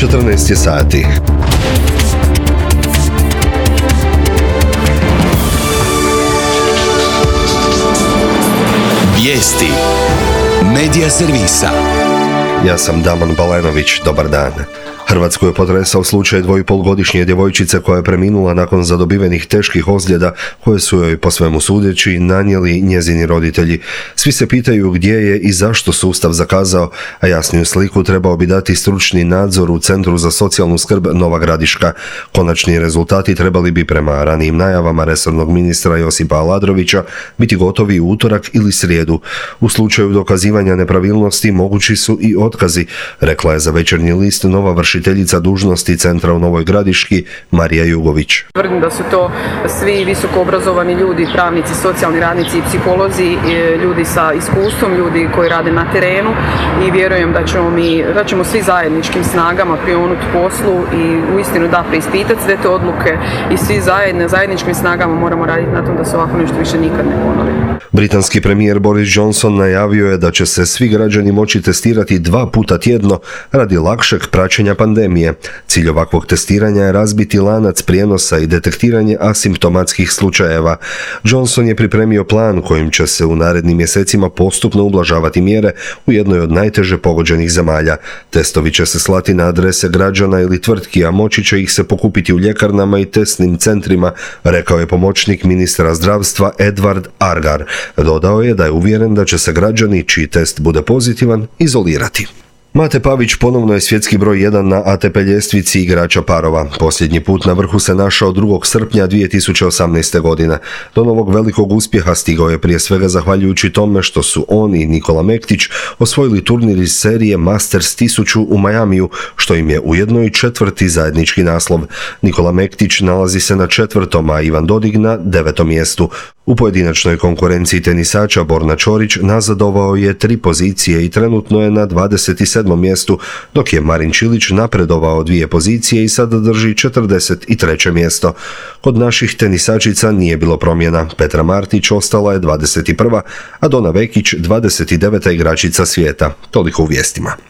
14 je sati. Vijesti Medija servisa. Ja sam Damon Balenović, dobar dan. Hrvatsku je potresao slučaj 2,5-godišnje djevojčice koja je preminula nakon zadobivenih teških ozljeda koje su joj po svemu sudeći nanijeli njezini roditelji. Svi se pitaju gdje je i zašto sustav zakazao, a jasniju sliku trebao bi dati stručni nadzor u Centru za socijalnu skrb Nova Gradiška. Konačni rezultati trebali bi prema ranijim najavama resornog ministra Josipa Aladrovića biti gotovi u utorak ili srijedu. U slučaju dokazivanja nepravilnosti mogući su i otkazi, rekla je za Večernji list nova vršiteljica dužnosti centra u Novoj Gradiški Marija Jugović. Tvrdim da su to svi visoko obrazovani ljudi, pravnici, socijalni radnici i psiholozi, ljudi sa iskustvom, ljudi koji rade na terenu i vjerujem da ćemo svi zajedničkim snagama prionuti poslu i uistinu preispitati sve te odluke i svi zajedničkim snagama moramo raditi na tom da se ovako nešto više nikad ne ponovi. Britanski premijer Boris Johnson najavio je da će se svi građani moći testirati 2 puta tjedno radi lakšeg praćenja pandemije. Cilj ovakvog testiranja je razbiti lanac prijenosa i detektiranje asimptomatskih slučajeva. Johnson je pripremio plan kojim će se u narednim mjesecima postupno ublažavati mjere u jednoj od najteže pogođenih zemalja. Testovi će se slati na adrese građana ili tvrtki, a moći će ih se pokupiti u ljekarnama i testnim centrima, rekao je pomoćnik ministra zdravstva Edward Argar. Dodao je da je uvjeren da će se građani čiji test bude pozitivan izolirati. Mate Pavić ponovno je svjetski broj 1 na ATP ljestvici igrača parova. Posljednji put na vrhu se našao 2. srpnja 2018. godine. Do novog velikog uspjeha stigao je prije svega zahvaljujući tome što su on i Nikola Mektić osvojili turnir iz serije Masters 1000 u Majamiju, što im je ujedno i 4. zajednički naslov. Nikola Mektić nalazi se na 4., a Ivan Dodig na 9. mjestu. U pojedinačnoj konkurenciji tenisača Borna Ćorić nazadovao je 3 pozicije i trenutno je na 27. mjestu, dok je Marin Čilić napredovao 2 pozicije i sada drži 43. mjesto. Kod naših tenisačica nije bilo promjena. Petra Martić ostala je 21., a Dona Vekić 29. igračica svijeta. Toliko u vijestima.